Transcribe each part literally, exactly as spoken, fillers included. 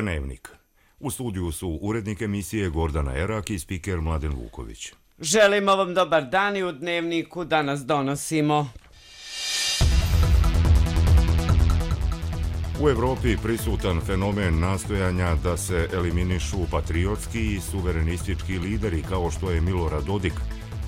Dnevnik. U studiju su urednik emisije Gordana Erak i spiker Mladen Vuković. Želimo vam dobar dan i u Dnevniku danas donosimo. U Evropi prisutan fenomen nastojanja da se eliminišu patriotski i suverenistički lideri kao što je Milorad Dodik,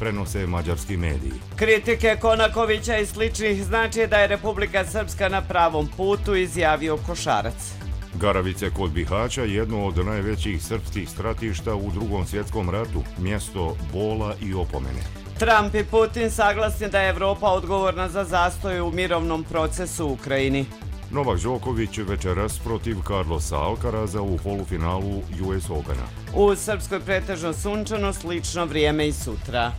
prenose mađarski mediji. Kritike Konakovića i sličnih znači da je Republika Srpska na pravom putu, izjavio Košarac. Garavice kod Bihaća, jedno od najvećih srpskih stratišta u Drugom svjetskom ratu, mjesto bola i opomene. Trump i Putin saglasni da je Evropa odgovorna za zastoj u mirovnom procesu u Ukrajini. Novak Đoković večeras protiv Carlosa Alcaraza u polufinalu U S Opena. U Srpskoj pretežno sunčano, slično vrijeme i sutra.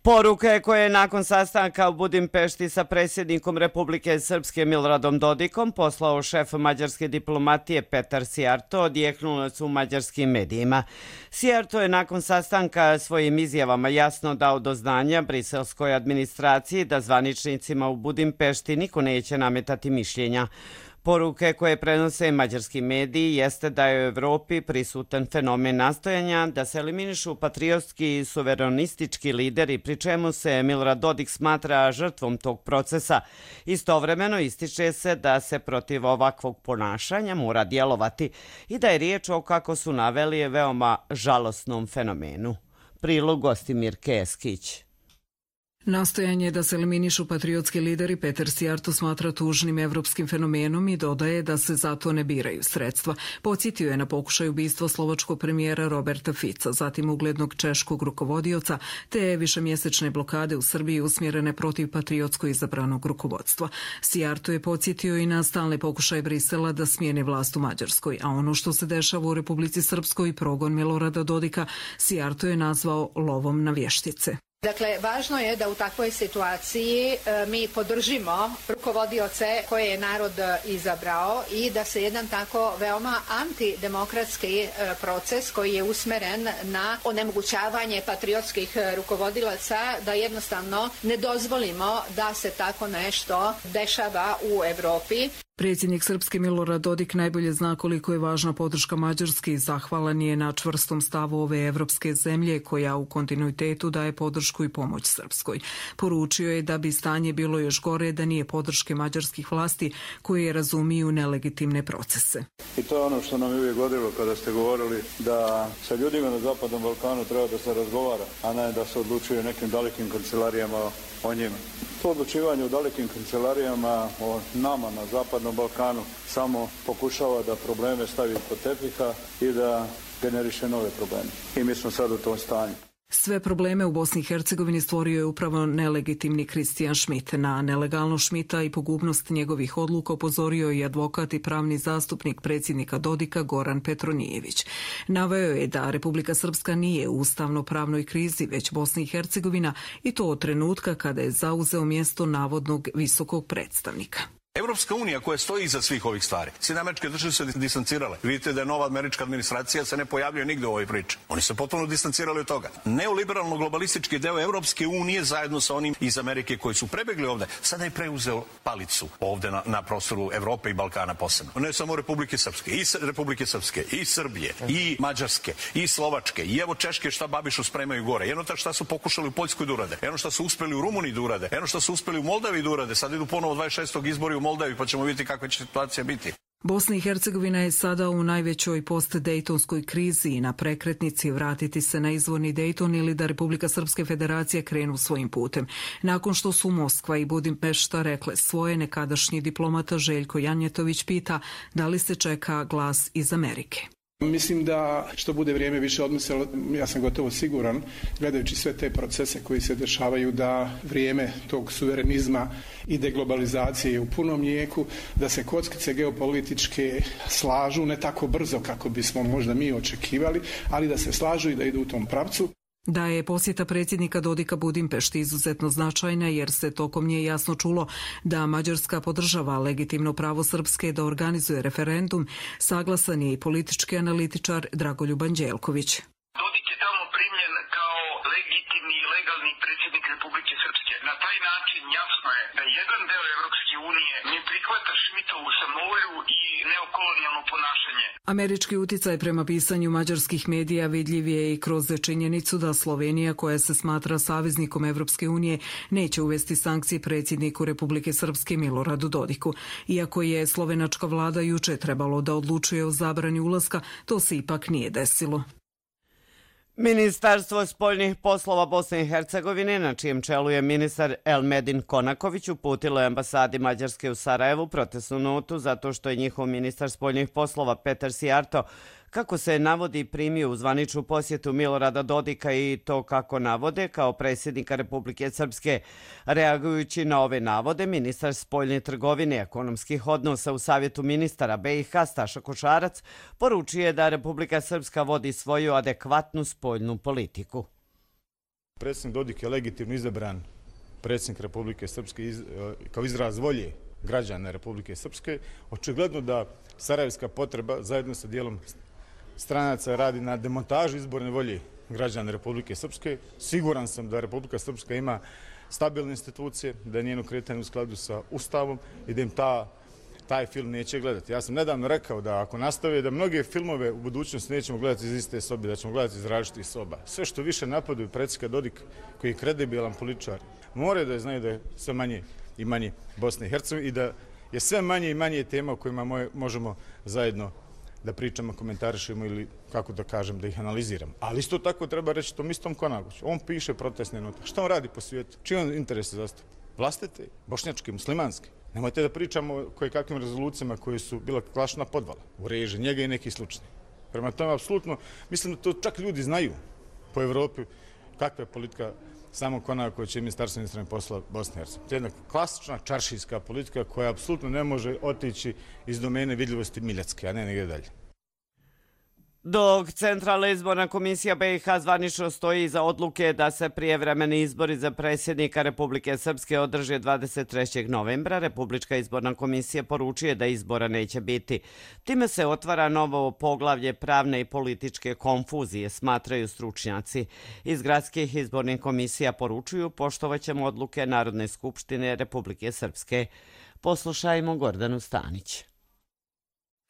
Poruke koje je nakon sastanka u Budimpešti sa predsjednikom Republike Srpske Miloradom Dodikom poslao šef mađarske diplomatije Petar Sijarto odjeknule su u mađarskim medijima. Sijarto je nakon sastanka svojim izjavama jasno dao do znanja briselskoj administraciji da zvaničnicima u Budimpešti niko neće nametati mišljenja. Poruke koje prenose mađarski mediji jeste da je u Evropi prisutan fenomen nastojanja da se eliminišu patriotski i suverenistički lideri, pri čemu se Milorad Dodik smatra žrtvom tog procesa. Istovremeno ističe se da se protiv ovakvog ponašanja mora djelovati i da je riječ o, kako su naveli, veoma žalosnom fenomenu. Prilog Gostimir Keskić. Nastojanje da se eliminišu patriotski lideri Petar Sijarto smatra tužnim evropskim fenomenom i dodaje da se zato ne biraju sredstva. Podsjetio je na pokušaj ubistva slovačkog premijera Roberta Fica, zatim uglednog češkog rukovodioca, te višemjesečne blokade u Srbiji usmjerene protiv patriotsko izabranog rukovodstva. Sijarto je podsjetio i na stalne pokušaje Brisela da smijeni vlast u Mađarskoj, a ono što se dešava u Republici Srpskoj i progon Milorada Dodika, Sijarto je nazvao lovom na vještice. Dakle, važno je da u takvoj situaciji e, mi podržimo rukovodioce koje je narod izabrao i da se jedan tako veoma antidemokratski e, proces koji je usmeren na onemogućavanje patriotskih rukovodilaca, da jednostavno ne dozvolimo da se tako nešto dešava u Evropi. Predsjednik Srpske Milorad Dodik najbolje zna koliko je važna podrška Mađarske i zahvalan je na čvrstom stavu ove evropske zemlje koja u kontinuitetu daje podršku i pomoć Srpskoj. Poručio je da bi stanje bilo još gore da nije podrške mađarskih vlasti koje razumiju nelegitimne procese. I to je ono što nam je uvijek godilo kada ste govorili da sa ljudima na Zapadnom Balkanu treba da se razgovara, a ne da se odlučuje o nekim dalekim kancelarijama o njima. To odlučivanje u dalekim kancelarijama o nama na Zapadnom Balkanu samo pokušava da probleme stavi pod tepiha i da generiše nove probleme. I mi smo sad u tom stanju. Sve probleme u Bosni i Hercegovini stvorio je upravo nelegitimni Kristijan Schmidt. Na nelegalnost Schmidta i pogubnost njegovih odluka upozorio je advokat i pravni zastupnik predsjednika Dodika Goran Petronijević. Naveo je da Republika Srpska nije u ustavno-pravnoj krizi, već Bosna i Hercegovina, i to od trenutka kada je zauzeo mjesto navodnog visokog predstavnika. Evropska unija koja stoji iza svih ovih stvari. Sjedinjene Američke Države se distancirale. Vidite da je nova američka administracija se ne pojavljuje nigde u ovoj priči. Oni se potpuno distancirali od toga. Neoliberalno globalistički deo Evropske unije zajedno sa onim iz Amerike koji su prebegli ovde, sada je preuzeo palicu ovde na, na prostoru Evrope i Balkana posebno. Ne samo Republike Srpske, i Republike Srpske, i Srbije, i Mađarske, i Slovačke, i evo Češke šta Babišu spremaju gore. Jedno ta šta su pokušali u Poljskoj da urade, jedno šta su uspeli u Rumuniji da urade, jedno šta su uspeli u Moldavi da urade, sad idu ponovo dvadeset šestog izbori u Moldavi, pa ćemo vidjeti kakva će situacija biti. Bosna i Hercegovina je sada u najvećoj post-Dejtonskoj krizi i na prekretnici vratiti se na izvorni Dejton ili da Republika Srpske Federacije krenu svojim putem. Nakon što su Moskva i Budimpešta rekle svoje, nekadašnji diplomata Željko Janjetović pita da li se čeka glas iz Amerike. Mislim da što bude vrijeme više odmislilo, ja sam gotovo siguran, gledajući sve te procese koji se dešavaju, da vrijeme tog suverenizma i deglobalizacije je u punom jeku, da se kockice geopolitičke slažu, ne tako brzo kako bismo možda mi očekivali, ali da se slažu i da idu u tom pravcu. Da je posjeta predsjednika Dodika Budimpešti izuzetno značajna jer se tokom nje jasno čulo da Mađarska podržava legitimno pravo Srpske da organizuje referendum, saglasan je i politički analitičar Dragoljub Anđelković. Dodik je tamo primljen kao legitimni i legalni predsjednik Republike Srpske. Na taj način jasno je da jedan deo Evropske unije ne prihvata Šmitovu samovolju i neokolonijalno ponašanje. Američki uticaj prema pisanju mađarskih medija vidljiv je i kroz činjenicu da Slovenija, koja se smatra saveznikom Evropske unije, neće uvesti sankcije predsjedniku Republike Srpske Miloradu Dodiku. Iako je slovenačka vlada juče trebalo da odlučuje o zabrani ulaska, to se ipak nije desilo. Ministarstvo spoljnih poslova Bosne i Hercegovine, na čijem čelu je ministar Elmedin Konaković, uputilo je ambasadi Mađarske u Sarajevu protestnu notu zato što je njihov ministar spoljnih poslova Petar Sijarto, kako se navodi, primio u zvaničnu posjetu Milorada Dodika i to kako navode kao predsjednika Republike Srpske. Reagujući na ove navode, ministar spoljne trgovine i ekonomskih odnosa u Savjetu ministara B i H Staša Košarac poručuje da Republika Srpska vodi svoju adekvatnu spoljnu politiku. Predsjednik Dodik je legitimno izabran predsjednik Republike Srpske iz, kao izraz volje građana Republike Srpske. Očigledno da sarajevska potreba zajedno sa dijelom stranaca radi na demontaži izborne volje građana Republike Srpske. Siguran sam da Republika Srpska ima stabilne institucije, da je njeno kretanje u skladu sa Ustavom i da im ta, taj film neće gledati. Ja sam nedavno rekao da ako nastave da mnoge filmove u budućnosti nećemo gledati iz iste sobe, da ćemo gledati iz različitih soba. Sve što više napadaju predsjednika Dodik, koji je kredibilan političar, moraju da znaju da je sve manje i manje Bosne i Hercegovine i da je sve manje i manje tema o kojima možemo zajedno da pričamo, komentarišemo ili, kako da kažem, da ih analiziramo. Ali isto tako treba reći tom istom Konakoviću. On piše protestne note. Šta on radi po svijetu? Čiji on interese zastupa? Vlastite, bošnjačke, muslimanske. Nemojte da pričamo o koje kakvim rezolucijama koje su bila klašna podvala u reži njega i neki slučaj. Prema tome, apsolutno, mislim da to čak ljudi znaju po Evropi kakva je politika samog Konakovića i Ministarstva inostranih poslova Bosne i Hercegovine. To je jedna klasična čaršijska politika koja apsolutno ne može otići iz domene vidljivosti Miljacke, a ne negdje dalje. Dok Centralna izborna komisija B i H zvanično stoji iza odluke da se prijevremeni izbori za predsjednika Republike Srpske održe dvadeset trećeg novembra, Republička izborna komisija poručuje da izbora neće biti. Time se otvara novo poglavlje pravne i političke konfuzije, smatraju stručnjaci. Iz gradskih izbornih komisija poručuju poštovaćemo odluke Narodne skupštine Republike Srpske. Poslušajmo Gordanu Stanić.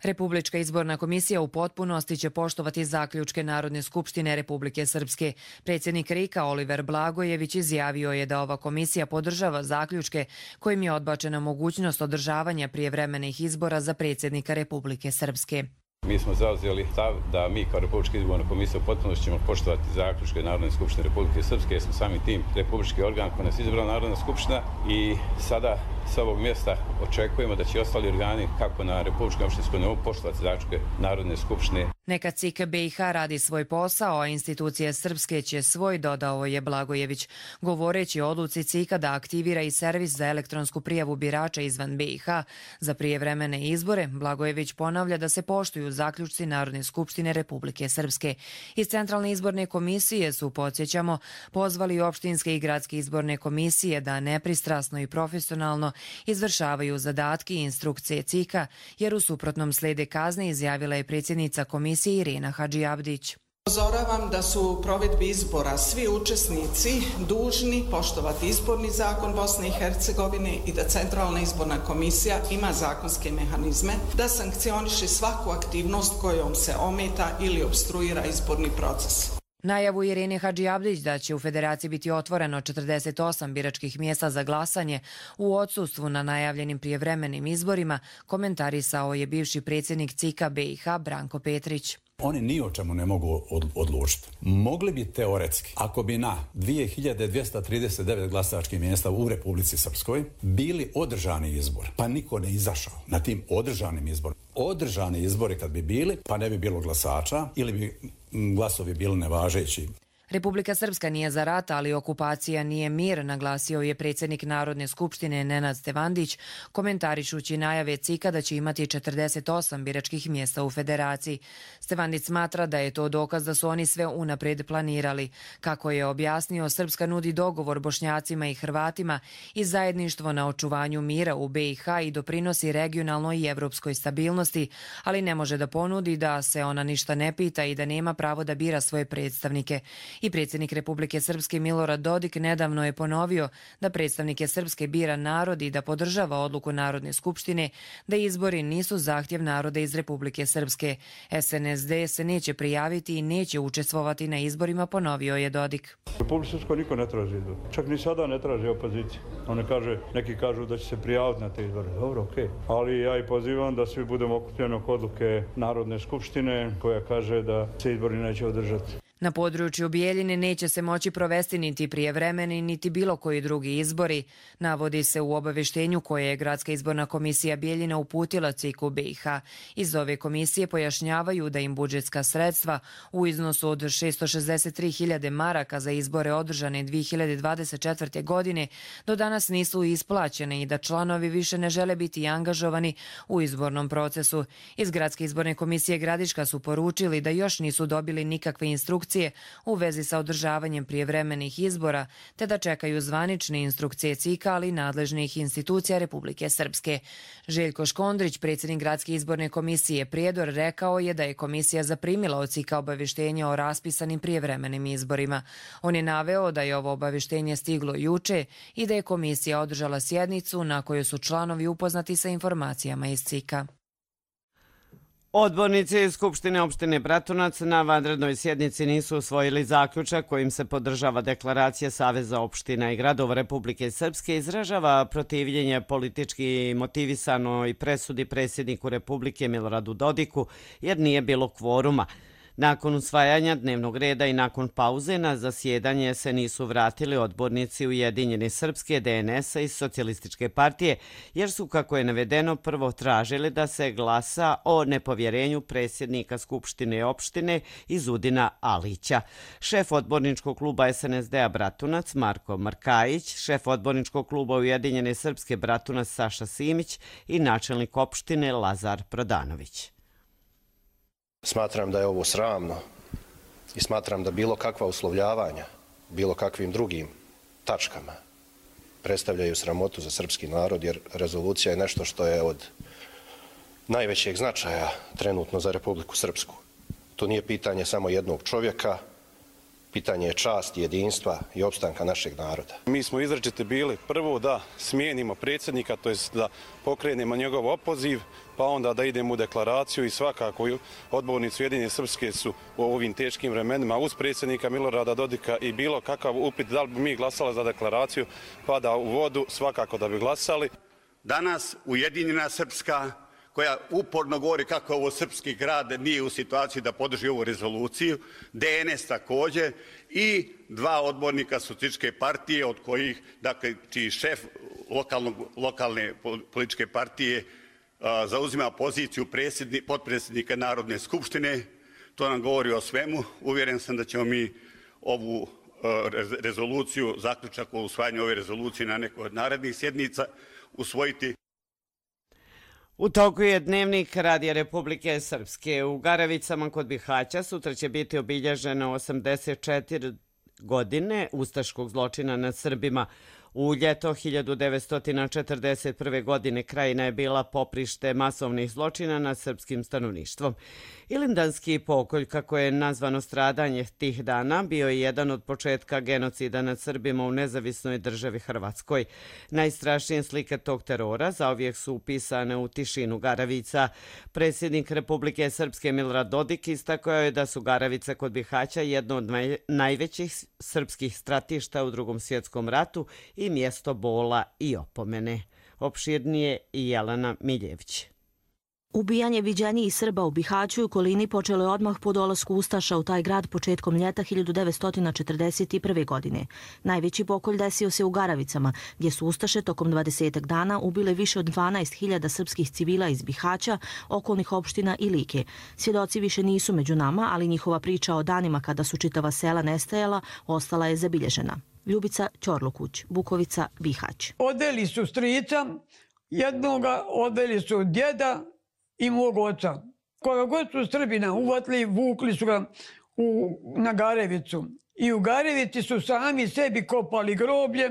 Republička izborna komisija u potpunosti će poštovati zaključke Narodne skupštine Republike Srpske. Predsjednik R I K-a Oliver Blagojević izjavio je da ova komisija podržava zaključke kojim je odbačena mogućnost održavanja prijevremenih izbora za predsjednika Republike Srpske. Mi smo zauzeli stav da mi kao Republička izborna komisija u potpunosti ćemo poštovati zaključke Narodne skupštine Republike Srpske, jer smo sami tim republički organ koji nas izabrala Narodna skupština i sada sa ovog mjesta očekujemo da će ostali organi kako na Republičkom opštinskom nivou poštovati zaključke Narodne skupštine. Neka C I K B i H radi svoj posao, a institucije srpske će svoj, dodao je Blagojević. Govoreći o odluci C I K-a da aktivira i servis za elektronsku prijavu birača izvan B i H za prijevremene izbore, Blagojević ponavlja da se poštuju zaključci Narodne skupštine Republike Srpske. Iz Centralne izborne komisije su, podsjećamo, pozvali opštinske i gradske izborne komisije da nepristrasno i profesionalno izvršavaju zadatke i instrukcije C I K-a, jer u suprotnom slede kazne, izjavila je predsjednica komisije Irena Hadžiabdić. Upozoravam da su u provedbi izbora svi učesnici dužni poštovati izborni zakon Bosne i Hercegovine i da Centralna izborna komisija ima zakonske mehanizme da sankcioniše svaku aktivnost kojom se ometa ili obstruira izborni proces. Najavu Irene Hadžiabdić da će u Federaciji biti otvoreno četrdeset osam biračkih mjesta za glasanje u odsustvu na najavljenim prijevremenim izborima komentarisao je bivši predsjednik C I K-a B i H Branko Petrić. Oni ni o čemu ne mogu odlučiti. Mogli bi teoretski, ako bi na dvije hiljade dvjesto trideset devet glasačkih mjesta u Republici Srpskoj bili održani izbor, pa niko ne izašao na tim održanim izborima. Održani izbori kad bi bili, pa ne bi bilo glasača ili bi glasovi bili nevažeći. Republika Srpska nije za rat, ali okupacija nije mir, naglasio je predsjednik Narodne skupštine Nenad Stevandić, komentarišući najave C I K-a da će imati četrdeset osam biračkih mjesta u Federaciji. Stevandić smatra da je to dokaz da su oni sve unaprijed planirali. Kako je objasnio, Srpska nudi dogovor Bošnjacima i Hrvatima i zajedništvo na očuvanju mira u B i H i doprinosi regionalnoj i evropskoj stabilnosti, ali ne može da ponudi da se ona ništa ne pita i da nema pravo da bira svoje predstavnike. I predsjednik Republike Srpske Milorad Dodik nedavno je ponovio da predstavnike Srpske bira narod i da podržava odluku Narodne skupštine da izbori nisu zahtjev naroda iz Republike Srpske. S N S D se neće prijaviti i neće učestvovati na izborima, ponovio je Dodik. U Republike Srpskoj niko ne traži izbor. Čak ni sada ne traži opozicija. One kaže, neki kažu da će se prijaviti na te izbore. Dobro, okej. Okay. Ali ja i pozivam da svi budemo okupljeni oko odluke Narodne skupštine koja kaže da se izbori neće održati. Na području Bijeljine neće se moći provesti niti prijevremeni, niti bilo koji drugi izbori. Navodi se u obaveštenju koje je Gradska izborna komisija Bijeljina uputila C I K-u B i H. Iz ove komisije pojašnjavaju da im budžetska sredstva u iznosu od šesto šezdeset tri hiljade maraka za izbore održane dvije hiljade dvadeset četvrte. godine do danas nisu isplaćene i da članovi više ne žele biti angažovani u izbornom procesu. Iz Gradske izborne komisije Gradiška su poručili da još nisu dobili nikakve instrukcije u vezi sa održavanjem prijevremenih izbora, te da čekaju zvanične instrukcije C I K-a, ali i nadležnih institucija Republike Srpske. Željko Škondrić, predsjednik Gradske izborne komisije Prijedor, rekao je da je komisija zaprimila od C I K-a obavještenje o raspisanim prijevremenim izborima. On je naveo da je ovo obavještenje stiglo juče i da je komisija održala sjednicu na kojoj su članovi upoznati sa informacijama iz C I K-a. Odbornici Skupštine opštine Bratunac na vanrednoj sjednici nisu usvojili zaključak kojim se podržava deklaracija Saveza opština i gradova Republike Srpske, izražava protivljenje politički motivisanoj presudi predsjedniku Republike Miloradu Dodiku jer nije bilo kvoruma. Nakon usvajanja dnevnog reda i nakon pauze na zasjedanje se nisu vratili odbornici Ujedinjene Srpske, D N S-a i Socijalističke partije, jer su, kako je navedeno, prvo tražili da se glasa o nepovjerenju predsjednika Skupštine opštine Izudina Alića. Šef odborničkog kluba S N S D-a Bratunac Marko Markajić, šef odborničkog kluba Ujedinjene Srpske Bratunac Saša Simić i načelnik opštine Lazar Prodanović. Smatram da je ovo sramno i smatram da bilo kakva uslovljavanja, bilo kakvim drugim tačkama predstavljaju sramotu za srpski narod, jer rezolucija je nešto što je od najvećeg značaja trenutno za Republiku Srpsku. To nije pitanje samo jednog čovjeka, pitanje je časti, jedinstva i opstanka našeg naroda. Mi smo izrečiti bili prvo da smijenimo predsjednika, to jest da pokrenemo njegov opoziv, pa onda da idemo u deklaraciju i svakako odbornici Ujedinjene Srpske su u ovim teškim vremenima uz predsjednika Milorada Dodika i bilo kakav upit da li bi mi glasali za deklaraciju pada u vodu, svakako da bi glasali. Danas Ujedinjena Srpska, koja uporno govori kako ovo srpski grad nije u situaciji da podrži ovu rezoluciju, D N S također i dva odbornika Socijalističke partije, od kojih, dakle, čiji šef lokalnog, lokalne političke partije a, zauzima poziciju potpredsjednika Narodne skupštine. To nam govori o svemu. Uvjeren sam da ćemo mi ovu a, rezoluciju, zaključak o usvajanju ove rezolucije na nekoj od narednih sjednica usvojiti. U toku je dnevnik Radija Republike Srpske. U Garavicama kod Bihaća sutra će biti obilježeno osamdeset četiri godine ustaškog zločina nad Srbima. U ljeto hiljadu devetsto četrdeset prve. godine Krajina je bila poprište masovnih zločina nad srpskim stanovništvom. Ilindanski pokolj, kako je nazvano stradanje tih dana, bio je jedan od početka genocida nad Srbima u nezavisnoj državi Hrvatskoj. Najstrašnije slike tog terora zauvijek su upisane u tišinu Garavica. Predsjednik Republike Srpske Milorad Dodik istakao je da su Garavice kod Bihaća jedno od najvećih srpskih stratišta u Drugom svjetskom ratu i mjesto bola i opomene. Opširnije i Jelena Miljević. Ubijanje viđenijih Srba u Bihaću i okolini počelo je odmah po dolasku Ustaša u taj grad početkom ljeta hiljadu devetsto četrdeset prve. godine. Najveći pokolj desio se u Garavicama, gdje su Ustaše tokom dvadesetak dana ubile više od dvanaest hiljada srpskih civila iz Bihaća, okolnih opština i Like. Svjedoci više nisu među nama, ali njihova priča o danima kada su čitava sela nestajala ostala je zabilježena. Ljubica Ćorlukuć, Bukovica, Bihać. Odveli su strica, jednoga odveli su djeda i mog oca. Koga god su Srbina uvatili, vukli su ga u, na Garevicu. I u Garevici su sami sebi kopali groblje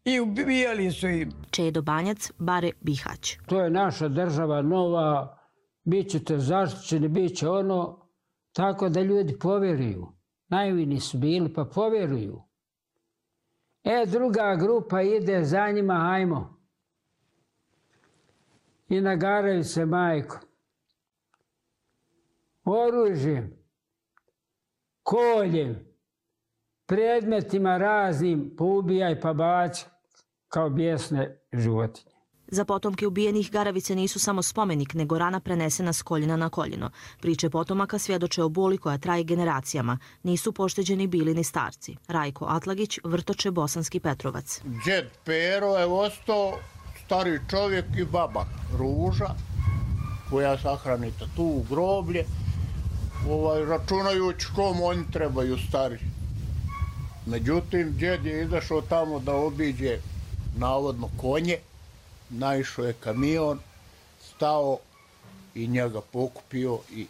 i ubijali su im. Čedo Banjac, Bare, Bihać. To je naša država nova, bit ćete zaštićeni, bit će ono, tako da ljudi povjeruju. Naivni su bili pa povjeruju. E, druga grupa ide za njima, hajmo. I nagaraju se majko. Oružjem, koljem, predmetima raznim poubijaj pa baci kao bijesne životinje. Za potomke ubijenih Garavice nisu samo spomenik, nego rana prenesena s koljena na koljeno. Priče potomaka svjedoče o boli koja traje generacijama. Nisu pošteđeni bili ni starci. Rajko Atlagić, Vrtoče, Bosanski Petrovac. Džed Pero je ostao stari čovjek i baba Ruža, koja sahranita tu u groblje, ovaj, računajući kom oni trebaju stari. Međutim, džed je izašao tamo da obiđe navodno konje, naišao je kamion, stao i njega pokupio i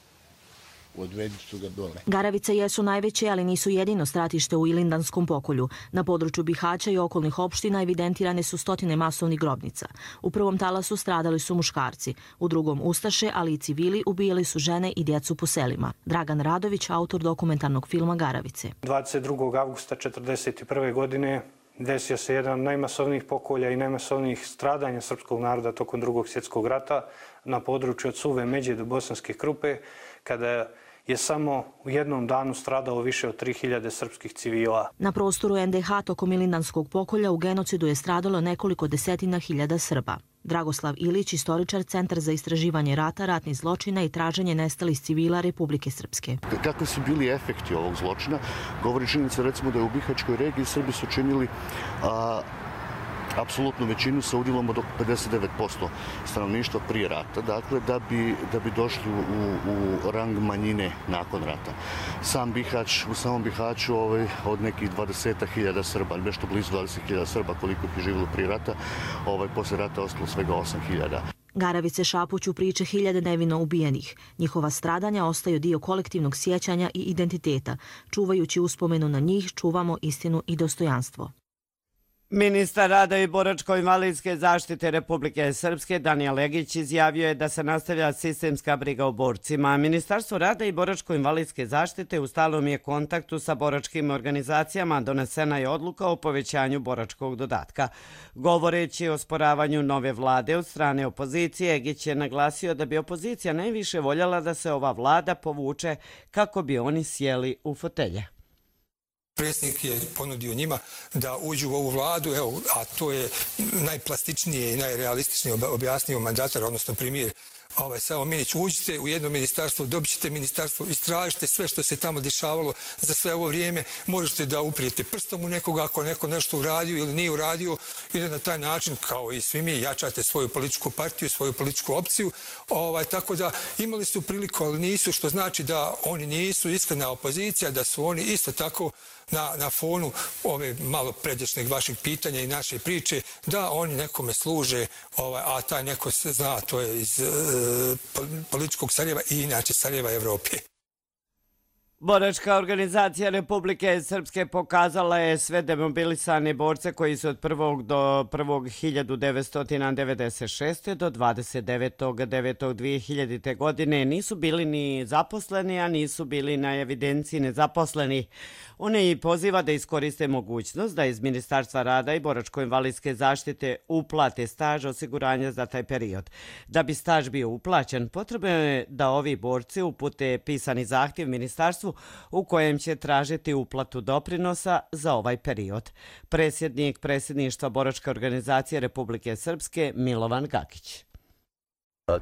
odvedi su ga dole. Garavice jesu najveće, ali nisu jedino stratište u Ilindanskom pokolju. Na području Bihaća i okolnih opština evidentirane su stotine masovnih grobnica. U prvom talasu stradali su muškarci, u drugom ustaše, ali i civili ubijali su žene i djecu po selima. Dragan Radović, autor dokumentarnog filma Garavice. dvadeset drugog avgusta četrdeset prve. godine desio se jedan od najmasovnijih pokolja i najmasovnijih stradanja srpskog naroda tokom drugog svjetskog rata na području od Suve Međe do Bosanske Krupe, kada je samo u jednom danu stradalo više od tri hiljade srpskih civila. Na prostoru en de ha tokom Ilindanskog pokolja u genocidu je stradalo nekoliko desetina hiljada Srba. Dragoslav Ilić, istoričar, Centar za istraživanje rata, ratnih zločina i traženje nestalih civila Republike Srpske. Kakvi su bili efekti ovog zločina? Govori činjenica recimo da je u Bihaćkoj regiji Srbi su činili a, apsolutnu većinu sa udjelom od pedeset devet posto stanovništva prije rata, dakle da bi, da bi došli u, u rang manjine nakon rata. Sam Bihać, u samom Bihaću ovaj, od nekih dvadeset hiljada Srba, nešto blizu dvadeset hiljada Srba koliko je živjelo prije rata, ovaj, poslije rata ostalo svega osam hiljada. Garavice šapuću priče hiljade nevino ubijenih. Njihova stradanja ostaju dio kolektivnog sjećanja i identiteta. Čuvajući uspomenu na njih, čuvamo istinu i dostojanstvo. Ministar rada i boračko-invalidske zaštite Republike Srpske Danijel Legić izjavio je da se nastavlja sistemska briga o borcima. Ministarstvo rada i boračko-invalidske zaštite u stalnom je kontaktu sa boračkim organizacijama, donesena je odluka o povećanju boračkog dodatka. Govoreći o sporavanju nove vlade od strane opozicije, Legić je naglasio da bi opozicija najviše voljela da se ova vlada povuče kako bi oni sjeli u fotelje. Predsjednik je ponudio njima da uđu u ovu vladu, evo, a to je najplastičnije i najrealističnije objasnio mandatar, odnosno premijer ovaj, Savo Minić. Uđite u jedno ministarstvo, dobit ćete ministarstvo, istražite sve što se tamo dešavalo za sve ovo vrijeme, možete da uprijete prstom u nekoga ako neko nešto uradio ili nije uradio i da na taj način, kao i svi mi, jačate svoju političku partiju, svoju političku opciju. Ovaj, tako da imali su priliku, ali nisu, što znači da oni nisu iskrena opozicija, da su oni isto tako na, na fonu ove malo pređašnjeg vašeg pitanja i naše priče, da oni nekome služe, ovaj, a taj neko se zna, to je iz e, političkog Sarajeva i inače Sarajeva Evrope. Boračka organizacija Republike Srpske pokazala je sve demobilisane borce koji su od prvog do prvog hiljadu devetsto devedeset šeste. do dvadeset devetog devetog dvije hiljadite. godine nisu bili ni zaposleni, a nisu bili na evidenciji nezaposleni. One i poziva da iskoriste mogućnost da iz Ministarstva rada i boračko-invalidske zaštite uplate staž osiguranja za taj period. Da bi staž bio uplaćen, potrebno je da ovi borci upute pisani zahtjev ministarstvu u kojem će tražiti uplatu doprinosa za ovaj period. Predsjednik predsjedništva Boračke organizacije Republike Srpske Milovan Gakić.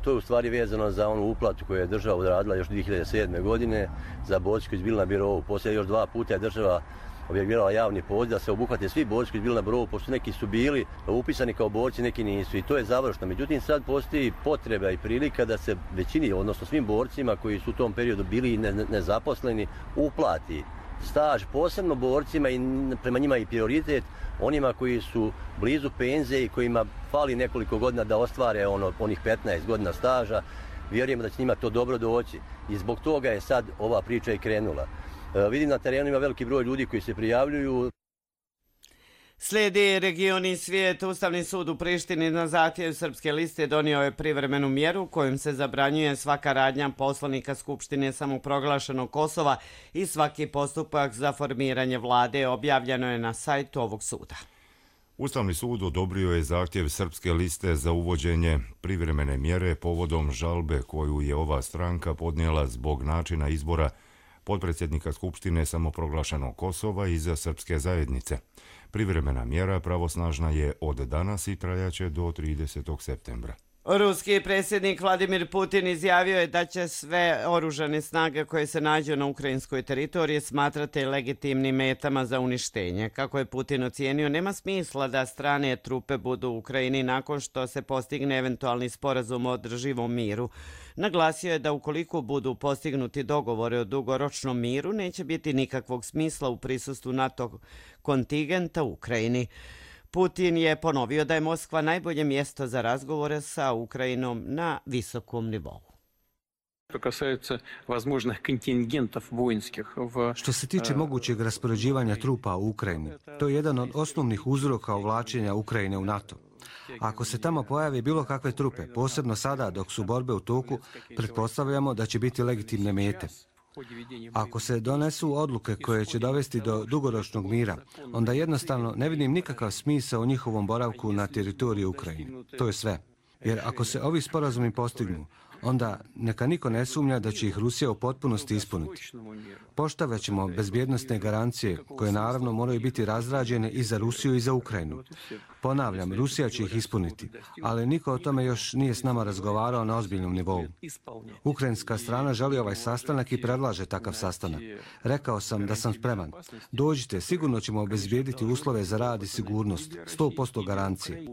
To je u stvari vezano za onu uplatu koju je država odradila još dvije hiljade sedme. godine za borci koji su bili na birovu. Poslije još dva puta je država objavila javni poziv da se obuhvate svi borci koji su bili na birovu, pošto neki su bili upisani kao borci, neki nisu i to je završno. Međutim, sad postoji potreba i prilika da se većini, odnosno svim borcima koji su u tom periodu bili nezaposleni, uplati staž, posebno borcima i prema njima i prioritet onima koji su blizu penzije i kojima fali nekoliko godina da ostvare ono, onih petnaest godina staža. Vjerujemo da će njima to dobro doći i zbog toga je sad ova priča i krenula. E, vidim na terenu ima veliki broj ljudi koji se prijavljuju. Slijedi region i svijet. Ustavni sud u Prištini na zahtjev Srpske liste donio je privremenu mjeru kojom se zabranjuje svaka radnja poslanika Skupštine samoproglašenog Kosova i svaki postupak za formiranje vlade. Objavljeno je na sajtu ovog suda. Ustavni sud odobrio je zahtjev Srpske liste za uvođenje privremene mjere povodom žalbe koju je ova stranka podnijela zbog načina izbora potpredsjednika Skupštine samoproglašenog Kosova iz Srpske zajednice. Privremena mjera pravosnažna je od danas i trajaće do tridesetog septembra. Ruski predsjednik Vladimir Putin izjavio je da će sve oružane snage koje se nađu na ukrajinskoj teritoriji smatrati legitimnim metama za uništenje. Kako je Putin ocijenio, nema smisla da strane trupe budu u Ukrajini nakon što se postigne eventualni sporazum o održivom miru. Naglasio je da ukoliko budu postignuti dogovore o dugoročnom miru, neće biti nikakvog smisla u prisustvu NATO kontingenta u Ukrajini. Putin je ponovio da je Moskva najbolje mjesto za razgovore sa Ukrajinom na visokom nivou. Što se tiče mogućeg raspoređivanja trupa u Ukrajini, to je jedan od osnovnih uzroka uvlačenja Ukrajine u NATO. Ako se tamo pojave bilo kakve trupe, posebno sada dok su borbe u toku, pretpostavljamo da će biti legitimne mete. Ako se donesu odluke koje će dovesti do dugoročnog mira, onda jednostavno ne vidim nikakav smisao u njihovom boravku na teritoriju Ukrajine. To je sve. Jer ako se ovi sporazumi postignu, onda neka niko ne sumnja da će ih Rusija u potpunosti ispuniti. Poštovat ćemo bezbjednostne garancije koje naravno moraju biti razrađene i za Rusiju i za Ukrajinu. Ponavljam, Rusija će ih ispuniti, ali niko o tome još nije s nama razgovarao na ozbiljnom nivou. Ukrajinska strana želi ovaj sastanak i predlaže takav sastanak. Rekao sam da sam spreman. Dođite, sigurno ćemo obezbijediti uslove za rad i sigurnost, sto posto garancije.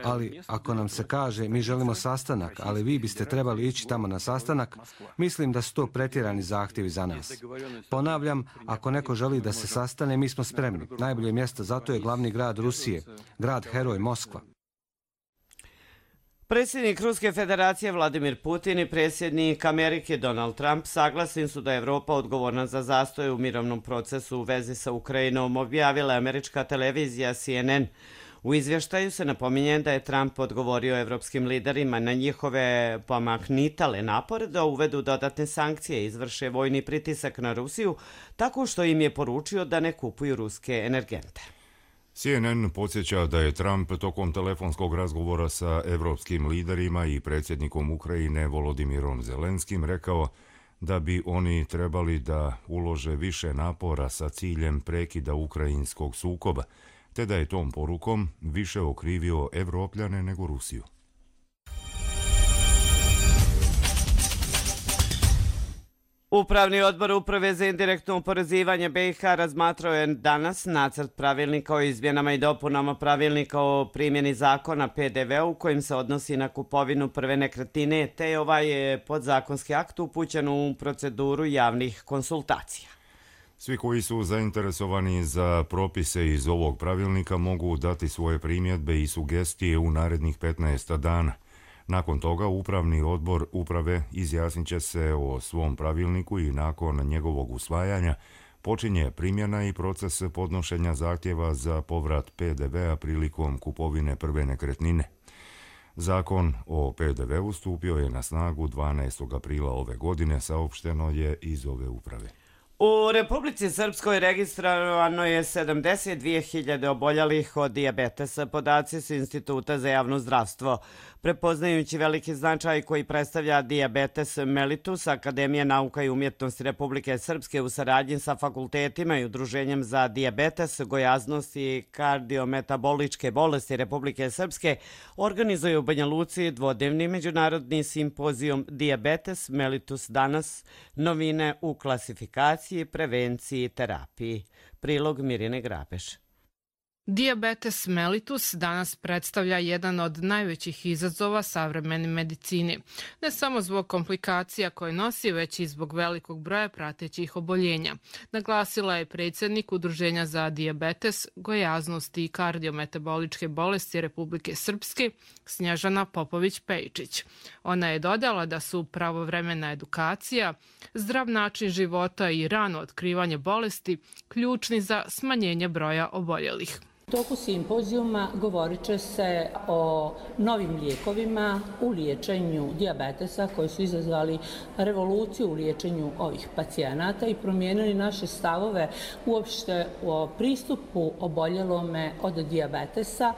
Ali ako nam se kaže mi želimo sastanak, ali vi biste trebali ići tamo na sastanak, mislim da su to pretjerani zahtjevi za nas. Ponavljam, ako neko želi da se sastane, mi smo spremni. Najbolje mjesto za to je glavni grad Rusije, grad heroj Moskva. Predsjednik Ruske federacije Vladimir Putin i predsjednik Amerike Donald Trump saglasni su da je Evropa odgovorna za zastoj u mirovnom procesu u vezi sa Ukrajinom, objavila američka televizija C N N. U izvještaju se napominje da je Trump odgovorio evropskim liderima na njihove pomaknitale napore da uvedu dodatne sankcije i izvrše vojni pritisak na Rusiju, tako što im je poručio da ne kupuju ruske energente. C N N podsjeća da je Trump tokom telefonskog razgovora sa evropskim liderima i predsjednikom Ukrajine Volodimirom Zelenskim rekao da bi oni trebali da ulože više napora sa ciljem prekida ukrajinskog sukoba, te da je tom porukom više okrivio Evropljane nego Rusiju. Upravni odbor Uprave za indirektno oporezivanje B i H razmatrao je danas nacrt pravilnika o izmjenama i dopunama pravilnika o primjeni zakona P D V-u kojim se odnosi na kupovinu prve nekretnine, te je ovaj podzakonski akt upućen u proceduru javnih konsultacija. Svi koji su zainteresovani za propise iz ovog pravilnika mogu dati svoje primjedbe i sugestije u narednih petnaest dana. Nakon toga Upravni odbor Uprave izjasnit će se o svom pravilniku i nakon njegovog usvajanja počinje primjena i proces podnošenja zahtjeva za povrat P D V-a prilikom kupovine prve nekretnine. Zakon o P D V-u stupio je na snagu dvanaestog aprila ove godine, saopšteno je iz ove uprave. U Republici Srpskoj registrovano je sedamdeset dvije hiljade oboljelih od dijabetesa, podaci su Instituta za javno zdravstvo. Prepoznajući veliki značaj koji predstavlja dijabetes mellitus, Akademija nauka i umjetnosti Republike Srpske u saradnji sa fakultetima i Udruženjem za dijabetes, gojaznost i kardiometaboličke bolesti Republike Srpske organizuje u Banja Luci dvodnevni međunarodni simpozijum Dijabetes mellitus danas, novine u klasifikaciji, prevenciji i terapiji. Prilog Mirjane Grabeš. Dijabetes mellitus danas predstavlja jedan od najvećih izazova savremene medicine. Ne samo zbog komplikacija koje nosi, već i zbog velikog broja pratećih oboljenja. Naglasila je predsjednik Udruženja za dijabetes, gojaznost i kardiometaboličke bolesti Republike Srpske, Snježana Popović-Pejčić. Ona je dodala da su pravovremena edukacija, zdrav način života i rano otkrivanje bolesti ključni za smanjenje broja oboljelih. U toku simpozijuma govorit će se o novim lijekovima u liječenju dijabetesa koji su izazvali revoluciju u liječenju ovih pacijenata i promijenili naše stavove uopšte o pristupu oboljelome od dijabetesa,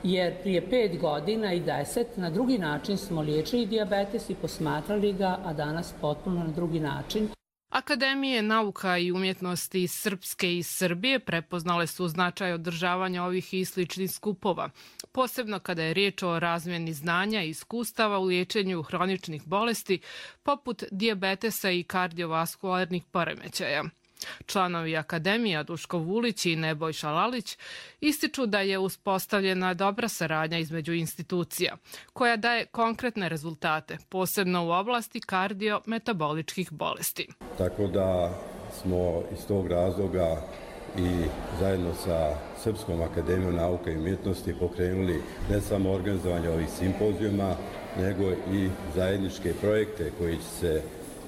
jer prije pet godina i deset na drugi način smo liječili dijabetes i posmatrali ga, a danas potpuno na drugi način. Akademije nauka i umjetnosti Srpske i Srbije prepoznale su značaj održavanja ovih i sličnih skupova, posebno kada je riječ o razmjeni znanja i iskustava u liječenju hroničnih bolesti poput dijabetesa i kardiovaskularnih poremećaja. Članovi Akademija Duško Vulić i Nebojša Lalić ističu da je uspostavljena dobra saradnja između institucija, koja daje konkretne rezultate, posebno u oblasti kardiometaboličkih bolesti. Tako da smo iz tog razloga i zajedno sa Srpskom akademijom nauka i umjetnosti pokrenuli ne samo organizovanje ovih simpozijuma, nego i zajedničke projekte koji će se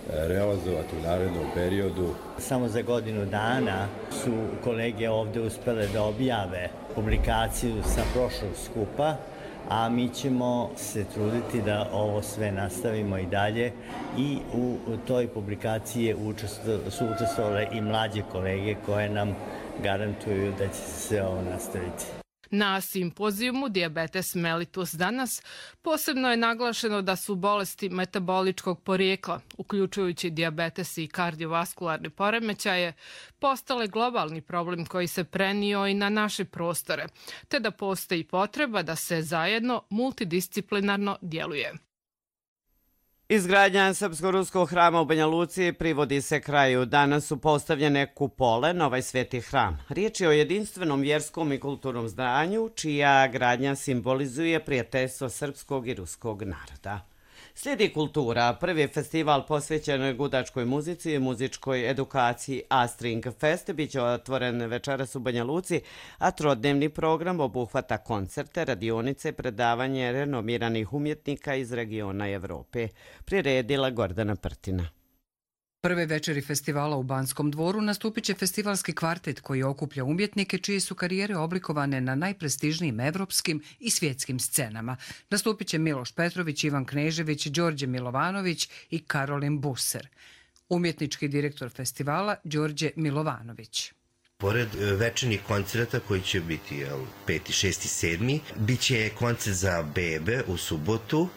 realizovati u narednom periodu. Samo za godinu dana su kolege ovdje uspjele da objave publikaciju sa prošlog skupa, a mi ćemo se truditi da ovo sve nastavimo i dalje i u toj publikaciji su učestvovale i mlađe kolege koje nam garantuju da će se ovo nastaviti. Na simpozijumu Diabetes mellitus danas posebno je naglašeno da su bolesti metaboličkog porijekla, uključujući dijabetes i kardiovaskularne poremećaje, postale globalni problem koji se prenio i na naše prostore, te da postoji potreba da se zajedno multidisciplinarno djeluje. Izgradnja Srpsko-ruskog hrama u Banja Luci privodi se kraju. Danas su postavljene kupole na ovaj sveti hram. Riječ je o jedinstvenom vjerskom i kulturnom zdanju, čija gradnja simbolizuje prijateljstvo srpskog i ruskog naroda. Slijedi kultura. Prvi festival posvećen gudačkoj muzici i muzičkoj edukaciji A-String Fest biće otvoren večeras u Banja Luci, a trodnevni program obuhvata koncerte, radionice, predavanje renomiranih umjetnika iz regiona Evrope. Priredila Gordana Prtina. Prve večeri festivala u Banskom dvoru nastupit će festivalski kvartet koji okuplja umjetnike čije su karijere oblikovane na najprestižnijim evropskim i svjetskim scenama. Nastupit će Miloš Petrović, Ivan Knežević, Đorđe Milovanović i Karolin Buser. Umjetnički direktor festivala Đorđe Milovanović. Pored večernjih koncerta koji će biti peti, šesti, sedmi, bit će koncert za bebe u subotu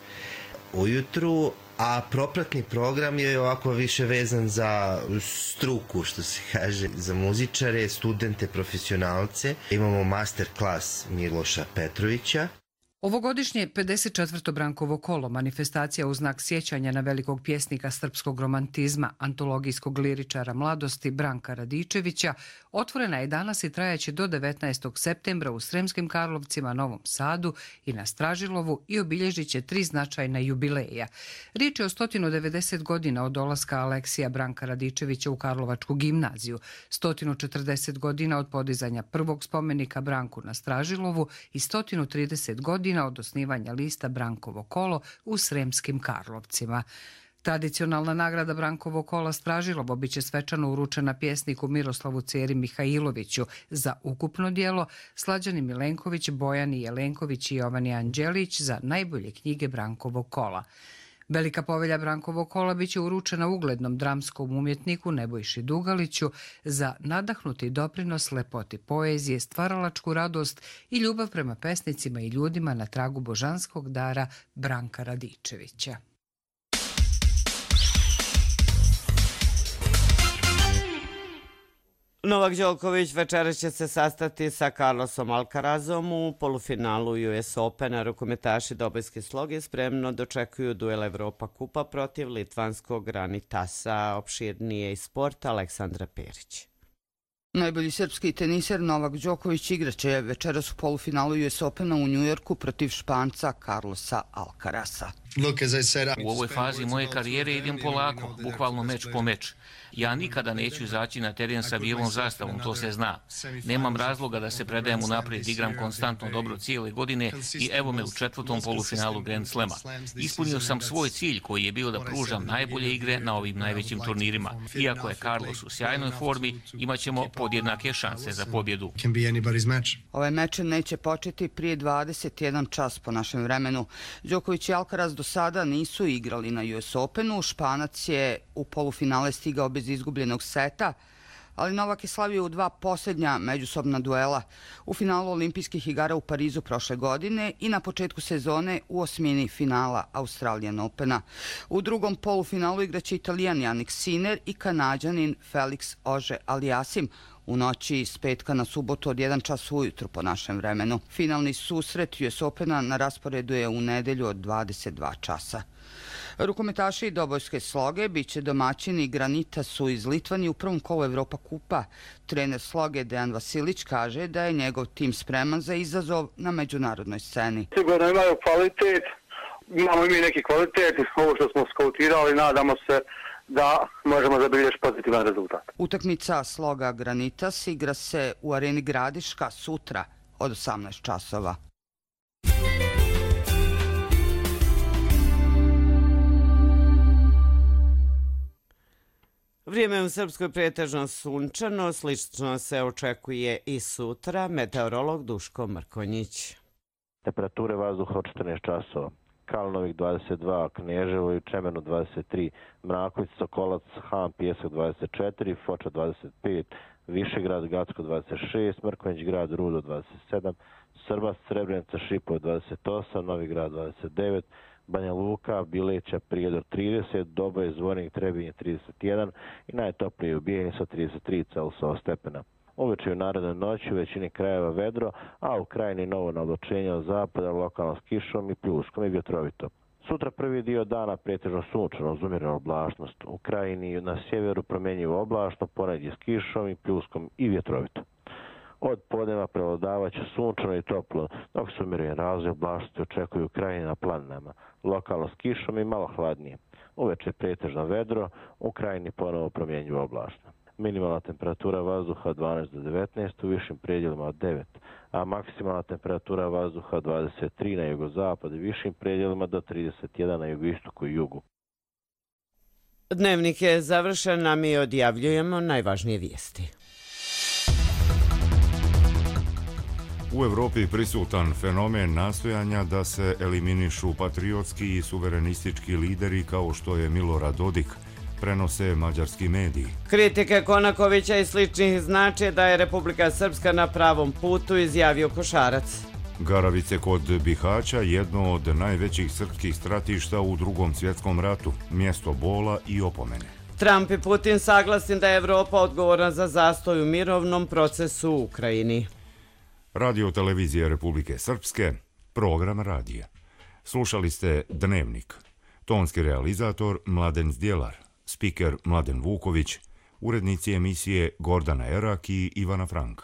ujutru, a propratni program je ovako više vezan za struku, što se kaže, za muzičare, studente, profesionalce. Imamo master klas Miloša Petrovića. Ovogodišnje pedeset četvrto Brankovo kolo, manifestacija u znak sjećanja na velikog pjesnika srpskog romantizma, antologijskog liričara mladosti Branka Radičevića, otvorena je danas i trajaće do devetnaestog septembra u Sremskim Karlovcima, Novom Sadu i na Stražilovu i obilježit će tri značajna jubileja. Riječ je o sto devedeset godina od dolaska Aleksija Branka Radičevića u Karlovačku gimnaziju, sto četrdeset godina od podizanja prvog spomenika Branku na Stražilovu i sto trideset godina od osnivanja lista Brankovo kolo u Sremskim Karlovcima. Tradicionalna nagrada Brankovo kola Stražilovo biće svečano uručena pjesniku Miroslavu Ceri Mihajloviću za ukupno djelo, Slađani Milenković, Bojani Jelenković i Jovani Anđelić za najbolje knjige Brankovo kola. Velika povelja Brankovog kola biće uručena uglednom dramskom umjetniku Nebojši Dugaliću za nadahnuti doprinos lepoti poezije, stvaralačku radost i ljubav prema pesnicima i ljudima na tragu božanskog dara Branka Radičevića. Novak Đoković večeras će se sastati sa Carlosom Alcarazom u polufinalu U S Opena. Rukometaši Dobojske sloge spremno dočekuju duel Evropa kupa protiv litvanskog Ranitasa. Opširnije iz sporta Aleksandra Perić. Najbolji srpski teniser Novak Đoković igraće večeras u polufinalu U S Opena u Njujorku protiv Španca Carlosa Alcaraza. U ovoj fazi moje karijere idem polako, bukvalno meč po meč. Ja nikada neću izaći na teren sa bijelom zastavom, to se zna. Nemam razloga da se predajem unaprijed, igram konstantno dobro cijele godine i evo me u četvrtom polufinalu Grand Slema. Ispunio sam svoj cilj koji je bio da pružam najbolje igre na ovim najvećim turnirima. Iako je Carlos u sjajnoj formi, imat ćemo podjednake šanse za pobjedu. Ovaj meč neće početi prije dvadeset jedan čas po našem vremenu. Đoković i Alcaraz do sada nisu igrali na U S Openu. Španac je u polufinale stigao bez izgubljenog seta, ali Novak je slavio u dva posljednja međusobna duela u finalu olimpijskih igara u Parizu prošle godine i na početku sezone u osmini finala Australian Opena. U drugom polufinalu igraće Italijan Jannik Sinner i Kanađanin Felix Auger-Aliassime u noći s petka na subotu od jedan čas ujutru po našem vremenu. Finalni susret U S Opena na rasporedu je u nedelju od dvadeset dva časa. Rukometaši dobojske sloge biće domaćini Granitasu iz Litvanije u prvom kolu Evropa kupa. Trener sloge Dejan Vasilić kaže da je njegov tim spreman za izazov na međunarodnoj sceni. Sigurno imaju kvalitet, imamo i mi neki kvalitet, ovo što smo skautirali, nadamo se da možemo zabilježiti pozitivan rezultat. Utakmica sloga Granitas igra se u areni Gradiška sutra od osamnaest časova. Vrijeme u Srpskoj pretežno sunčano, slično se očekuje i sutra. Meteorolog Duško Mrkonjić. Temperature vazduha od četrnaest časova. Kalnovik dvadeset dva, Kneževo i Čemenu dvadeset tri, Mraković, Sokolac, Han, Pijesak dvadeset četiri, Foča dvadeset pet, Višegrad, Gacko dvadeset šest, Mrkonjić grad, Rudo dvadeset sedam, Srbas, Srebrenica, Šipovo dvadeset osam, Novi grad dvadeset devet, Banja Luka, Bileća, Prijedor trideset, Doboj, Zvornik, Trebinje trideset jedan i najtoplije u Bijeljini sa trideset tri Celsijusa stepena. Uveče u narednoj noći u većini krajeva vedro, a u krajini novo navlačenje od zapada, lokalno s kišom i pljuskom i vjetrovito. Sutra prvi dio dana pretežno sunčano uz umjerenu oblačnost. U krajini na sjeveru promjenjivo oblačno, ponegdje s kišom i pljuskom i vjetrovito. Od podneva prevladavaće sunčano i toplo, dok se umjereni razvoj oblačnosti očekuju u krajini na planinama, lokalno s kišom i malo hladnije. Uveče pretežno vedro, u krajini ponovo promjenjivo oblačno. Minimalna temperatura vazduha dvanaest do devetnaest, u višim predjelima od devet, a maksimalna temperatura vazduha dvadeset tri na jugozapadu i višim predjelima do trideset jedan na jugoistoku i jugu. Dnevnik je završen, a mi odjavljujemo najvažnije vijesti. U Evropi prisutan fenomen nastojanja da se eliminišu patriotski i suverenistički lideri kao što je Milorad Dodik, prenose mađarski mediji. Kritike Konakovića i sličnih znače da je Republika Srpska na pravom putu, izjavio Košarac. Garavice kod Bihaća, jedno od najvećih srpskih stratišta u Drugom svjetskom ratu, mjesto bola i opomene. Trump i Putin saglasni da je Evropa odgovorna za zastoj u mirovnom procesu u Ukrajini. Radio televizije Republike Srpske, program radija. Slušali ste Dnevnik. Tonski realizator Mladen Zdjelar, spiker Mladen Vuković, urednici emisije Gordana Erak i Ivana Frank.